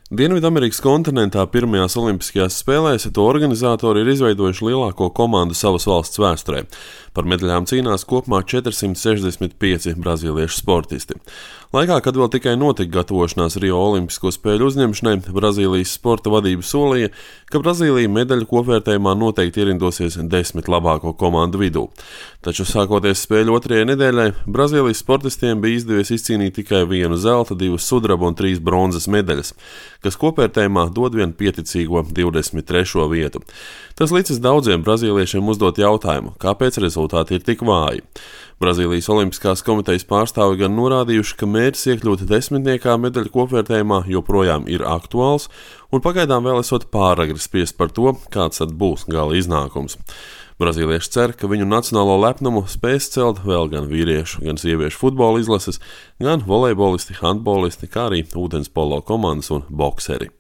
Dienvidamerikas kontinentā pirmajās olimpiskajās spēlēs to organizatori ir izveidojuši lielāko komandu savas valsts vēsturē. Par medaļām cīnās kopumā 465 brazīliešu sportisti. Laikā, kad vēl tikai notika gatavošanās Rio Olimpisko spēļu uzņemšanai, Brazīlijas sporta vadība solīja, ka Brazīlija medaļu kopvērtējumā noteikti ierindosies 10 labāko komandu vidū. Taču sākoties spēļu otrajai nedēļai, Brazīlijas sportistiem bija izdevies izcīnīt tikai 1 zelta, 2 sudraba un 3 bronzas medaļas, kas kopvērtējumā dod vien pieticīgo 23. vietu. Tas licis daudziem brazīliešiem uzdot jautājumu, kāpēc rezultāti ir tik vāji. Brazīlijas Olimpiskās komitejas pārstāvi gan norādījuši, ka mērķis iekļūt 10. medaļu kopvērtējumā joprojām ir aktuāls, un pagaidām vēl esot pāragri spriest par to, kāds tad būs gala iznākums. Brazīlieši cer, ka viņu nacionālo lepnumu spēs celt vēl gan vīriešu, gan sieviešu futbola izlases, gan volejbolisti, handbolisti, kā arī ūdenspolo komandas un bokseri.